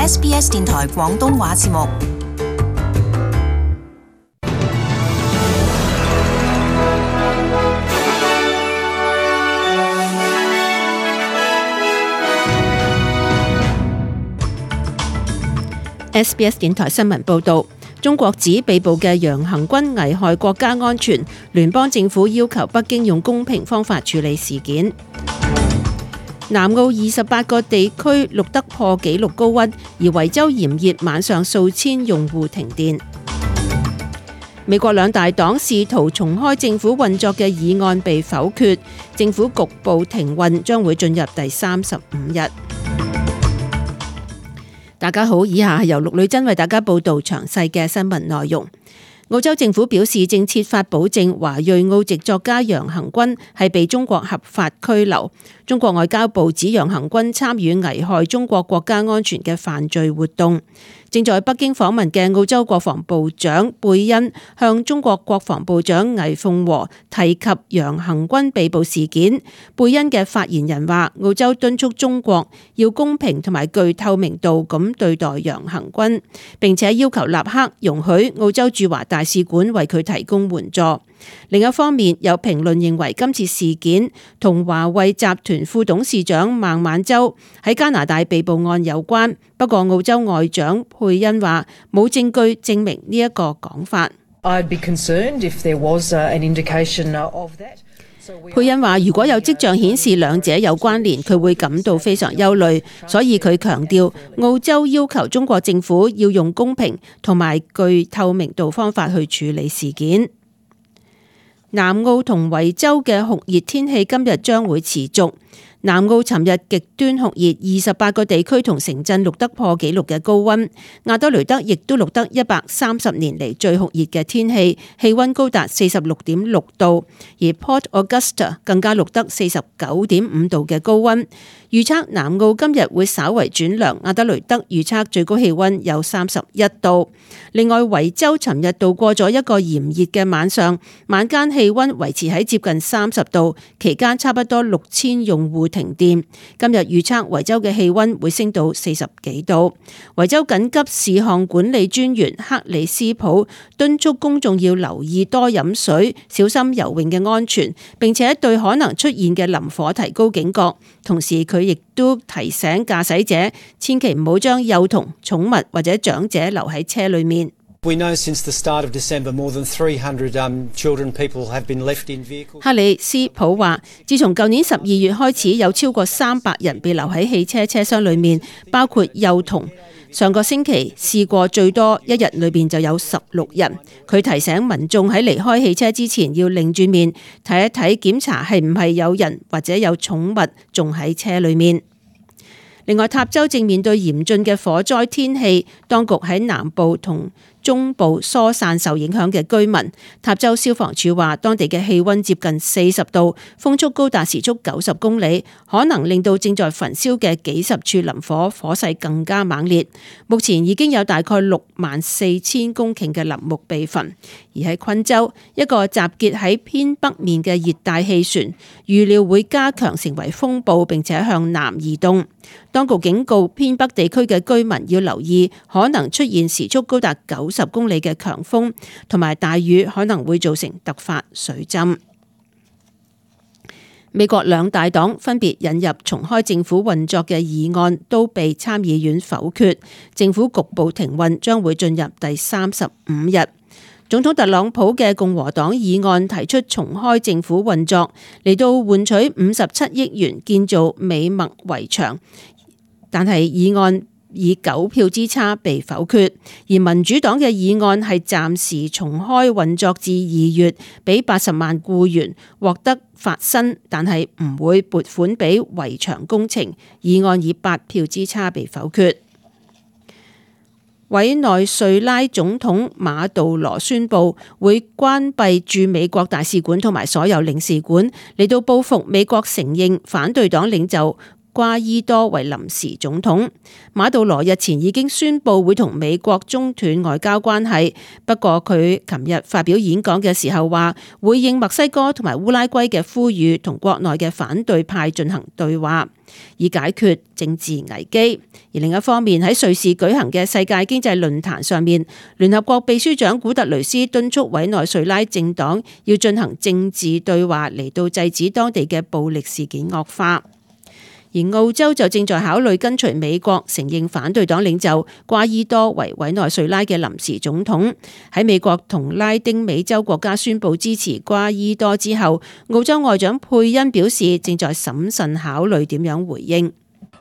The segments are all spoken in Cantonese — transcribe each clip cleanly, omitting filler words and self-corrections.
SBS 電台廣東話節目。SBS 電台新聞報導，中國指被捕嘅楊恒軍危害國家安全，聯邦政府要求北京用公平方法處理事件。南澳28個地區錄得破紀錄高溫，而維州炎熱，晚上數千用戶停電。美國兩大黨試圖重開政府運作嘅議案被否決，政府局部停運將會進入第35日。大家好，以下係由陸女真為大家報道詳細嘅新聞內容。澳洲政府表示正設法保證華裔澳籍作家楊恒軍係被中國合法拘留。中國外交部指楊恒軍參與危害中國國家安全嘅犯罪活動。正在北京訪問嘅澳洲國防部長貝恩向中國國防部長魏鳳和提及楊恒軍被捕事件。貝恩嘅發言人話，澳洲敦促中國要公平同埋具透明度咁對待楊恒軍，並且要求立刻容許澳洲駐華大使館為佢提供援助。另一方面，有評論認為今次事件同華為集團副董事長孟晚舟喺加拿大被捕案有關，不過澳洲外長佩恩話冇證據證明呢一個講法。佩恩話如果有跡象顯示兩者有關聯，佢會感到非常憂慮，所以佢強調澳洲要求中國政府要用公平同埋具透明度方法去處理事件。南澳同維州嘅酷熱天氣今日將會持續。南澳尋日極端酷熱，28個地區同城鎮錄得破紀錄嘅高溫。亞德雷德亦都錄得130年嚟最酷熱嘅天氣，氣溫高達46.6度，而 Port Augusta 更加錄得49.5度嘅高溫。預測南澳今日會稍為轉涼，亞德雷德預測最高氣溫有31度。另外，維州尋日度過咗一個炎熱嘅晚上，晚間氣溫維持喺接近30度，期間差不多6000用戶停電。今日預測維州嘅氣溫會升到40幾度。維州緊急事項管理專員克里斯普敦促公眾要留意多飲水，小心游泳嘅安全，並且對可能出現嘅林火提高警覺。同時佢亦都提醒駕駛者千祈唔好將幼童、寵物或者長者留喺車裏面。克里斯普話，自從舊年12月開始，有超過300人被留喺汽車車廂裏面，包括幼童。上個星期試過最多一日裏邊就有16人。佢提醒民眾喺離開汽車之前要擰住面睇一睇，檢查係唔係有人或者有寵物仲喺車裏面。另外，塔州正面對嚴峻嘅火災天氣，當局喺南部同中部疏散受影響嘅居民。塔州消防處話，當地嘅氣溫接近40度，風速高達時速90公里，可能令到正在焚燒嘅幾十處林火火勢更加猛烈。目前已經有大概64000公頃嘅林木被焚。而喺昆州，一個集結喺偏北面嘅熱帶氣旋，預料會加強成為風暴，並且向南移動。當局警告偏北地區嘅居民要留意，可能出現時速高達90公里嘅強風，同埋大雨可能會造成突發水浸。美國兩大黨分別引入重開政府運作嘅議案，都被參議院否決，政府局部停運將會進入第35日。總統特朗普嘅共和黨議案提出重開政府運作，嚟到換取57億元建造美墨圍牆，但係議案以9票之差被否決。而民主黨嘅議案係暫時重開運作至2月，俾80萬僱員獲得發薪，但係唔會撥款俾圍牆工程。議案以8票之差被否決。委內瑞拉總統馬杜羅宣布會關閉駐美國大使館同埋所有領事館，嚟到報復美國承認反對黨領袖瓜伊多為臨時總統。馬杜羅日前已經宣布會同美國中斷外交關係，不過佢琴日發表演講嘅時候話，會應墨西哥同埋烏拉圭嘅呼籲，同國內嘅反對派進行對話，以解決政治危機。而另一方面，喺瑞士舉行嘅世界經濟論壇上面，聯合國秘書長古特雷斯敦促委內瑞拉政黨要進行政治對話，嚟到制止當地嘅暴力事件惡化。而澳洲就正在考慮跟隨美國承認反對黨領袖瓜伊多為委內瑞拉嘅臨時總統。喺美國同拉丁美洲國家宣布支持瓜伊多之後，澳洲外長佩恩表示正在審慎考慮點樣回應。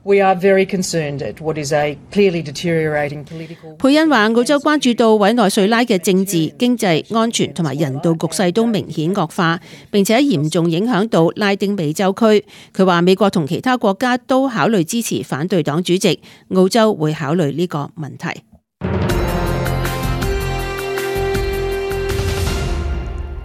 We are very concerned at what is a clearly deteriorating political. 佩恩話：澳洲關注到委內瑞拉嘅政治、經濟、安全同埋人道局勢都明顯惡化，並且嚴重影響到拉丁美洲區。佢話美國同其他國家都考慮支持反對黨主席，澳洲會考慮呢個問題。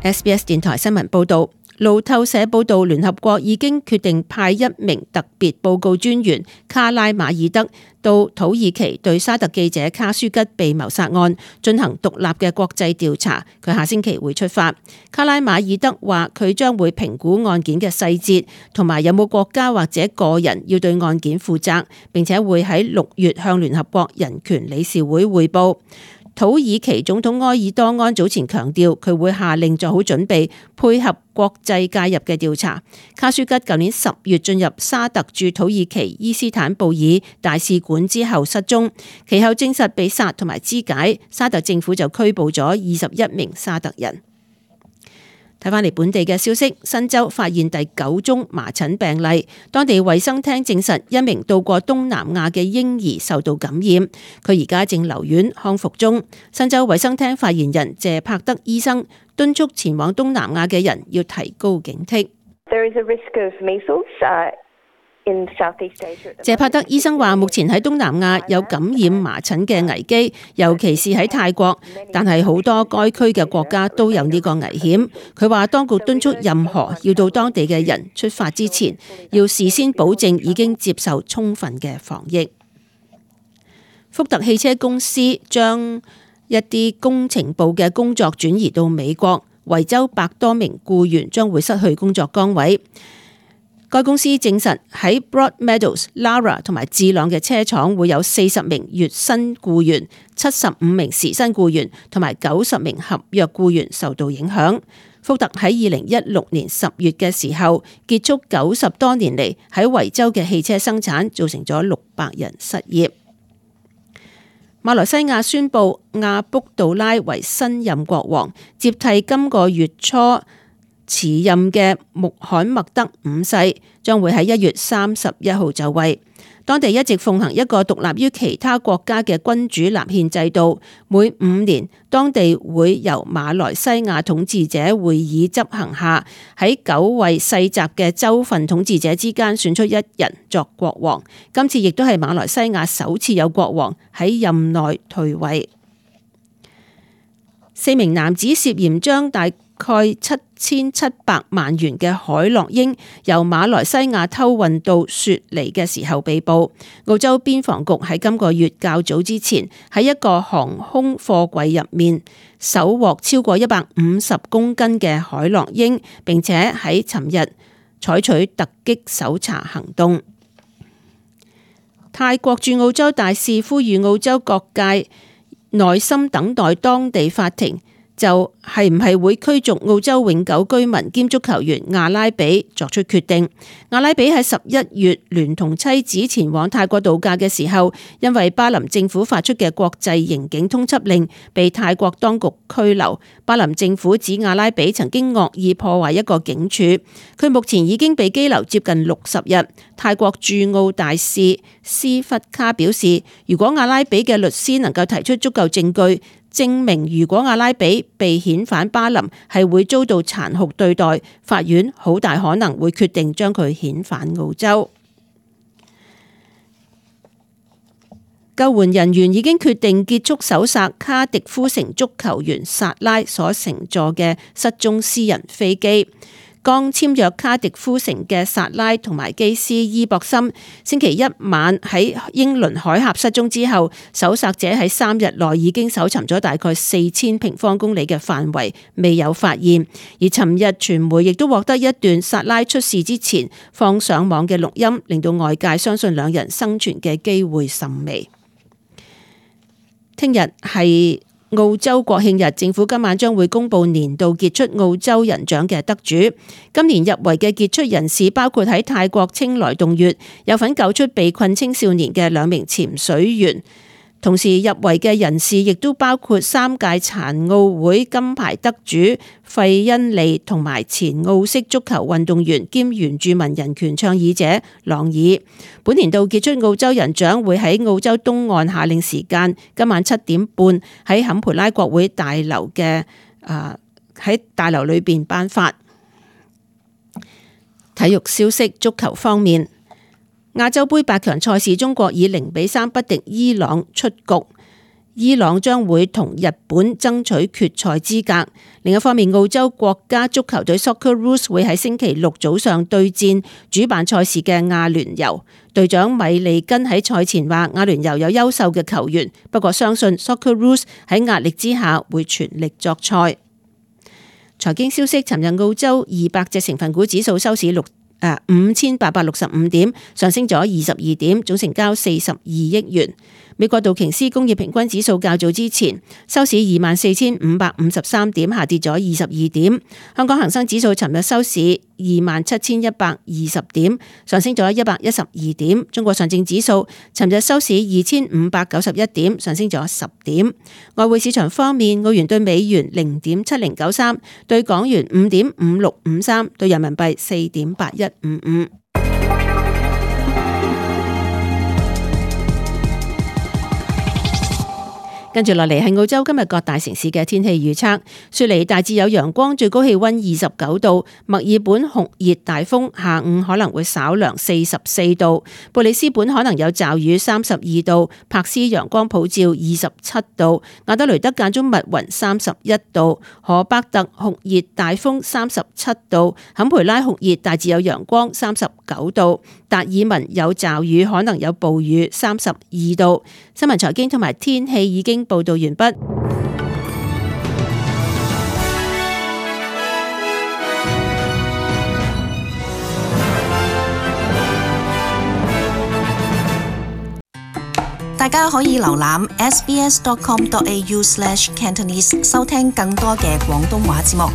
SBS 電台新聞報導。路透社報道，聯合國已經決定派一名特別報告專員卡拉馬爾德到土耳其對沙特記者卡舒吉被謀殺案進行獨立嘅國際調查。佢下星期會出發。卡拉馬爾德話佢將會評估案件嘅細節，同埋有冇國家或者個人要對案件負責，並且會喺6月向聯合國人權理事會匯報。土耳其總統埃爾多安早前強調，佢會下令做好準備，配合國際介入嘅調查。卡舒吉舊年10月進入沙特駐土耳其伊斯坦布爾大使館之後失蹤，其後證實被殺同埋肢解，沙特政府就拘捕咗21名沙特人。睇返嚟本地嘅消息，新州發現第9宗麻疹病例，當地衛生廳證實一名到過東南亞嘅嬰兒受到感染，佢而家正留院康復中。新州衛生廳發言人謝柏德醫生敦促前往東南亞嘅人要提高警惕。謝柏德醫生話，目前喺東南亞有感染麻疹嘅危機，尤其是喺泰國，但係好多該區嘅國家都有呢個危險。佢話當局敦促任何要到當地嘅人出發之前，要事先保證已經接受充分嘅防疫。福特汽車公司將一啲工程部嘅工作轉移到美國，維州100多名僱員將會失去工作崗位。該公司證實喺 Broadmeadows、Lara 同埋智朗嘅車廠會有40名月薪僱員、75名時薪僱員同埋90名合約僱員受到影響。福特喺2016年10月嘅時候結束90多年嚟喺維州嘅汽車生產，造成咗600人失業。馬來西亞宣布亞卜杜拉為新任國王，接替今個月初辭任嘅穆罕默德5世，將會喺1月31號就位。當地一直奉行一個獨立於其他國家嘅君主立憲制度，每5年當地會由馬來西亞統治者會議執行下，喺9位世襲嘅州份統治者之間選出一人作國王。今次亦都係馬來西亞首次有國王喺任內退位。4名男子涉嫌將大概7700萬元嘅海洛因由馬來西亞偷運到雪梨嘅時候被捕。澳洲邊防局喺今個月較早之前喺一個航空貨櫃入面搜獲超過150公斤嘅海洛因，並且喺尋日採取突擊搜查行動。泰國駐澳洲大使呼籲澳洲各界耐心等待當地法庭就係唔係會驅逐澳洲永久居民兼足球員阿拉比作出決定。阿拉比喺11月聯同妻子前往泰國度假嘅時候，因為巴林政府發出嘅國際刑警通緝令，被泰國當局拘留。巴林政府指阿拉比曾經惡意破壞一個警署，佢目前已經被羈留接近60日。泰國駐澳大使斯弗卡表示，如果阿拉比嘅律師能夠提出足夠證據，證明如果阿拉比被遣返巴林係會遭到殘酷對待，法院好大可能會決定將佢遣返澳洲。救援人員已經決定結束搜索卡迪夫城足球員薩拉所乘坐嘅失蹤私人飛機。剛簽約卡迪夫城嘅薩拉同埋基斯伊博森，星期一晚喺英倫海峽失蹤之後，搜索者喺3日內已經搜尋咗大概4000平方公里嘅範圍，未有發現。而尋日傳媒亦都獲得一段薩拉出事之前放上網嘅錄音，令到外界相信兩人生存嘅機會甚微。聽日係澳洲國慶日，政府今晚將會公布年度傑出澳洲人獎嘅得主。今年入圍嘅傑出人士包括喺泰國清萊洞穴有份救出被困青少年嘅2名潛水員。同時入圍嘅人士亦都包括3屆殘奧會金牌得主費恩利同埋前澳式足球運動員兼原住民人權倡議者朗爾。本年度傑出澳洲人獎會喺澳洲東岸夏令時間今晚7點半喺坎培拉國會大樓嘅喺大樓裏邊頒發。體育消息，足球方面。亞洲盃8強賽事，中國以0-3不敵伊朗出局，伊朗將會同日本爭取決賽資格。另一方面，澳洲國家足球隊 Socceroos 會喺星期六早上對戰主辦賽事嘅阿聯酋。隊長米利根喺賽前話：阿聯酋有優秀嘅球員，不過相信 Socceroos 喺壓力之下會全力作賽。財經消息，尋日澳洲200隻成分股指數收市5865點，上升咗22點，總成交42億元。美國道瓊斯工業平均指數較早之前收市24,553點，下跌咗22點。香港恒生指數尋日收市27,120點，上升咗112點。中國上證指數尋日收市2,591點，上升咗10點。外匯市場方面，澳元對美元0.7093，對港元5.5653，對人民幣4.8155。跟住落嚟係澳洲今日各大城市嘅天氣預測。雪梨大致有陽光，最高氣溫29度；墨爾本酷熱大風，下午可能會稍涼44度；布里斯本可能有驟雨32度；柏斯陽光普照27度；亞德雷德間中密雲31度；荷伯特酷熱大風37度；坎培拉酷熱大致有陽光39度；達爾文有驟雨可能有暴雨32度。新聞財經同埋天氣已經報道完畢。大家可以瀏覽 sbs.com.au/cantonese 收聽更多嘅廣東話節目。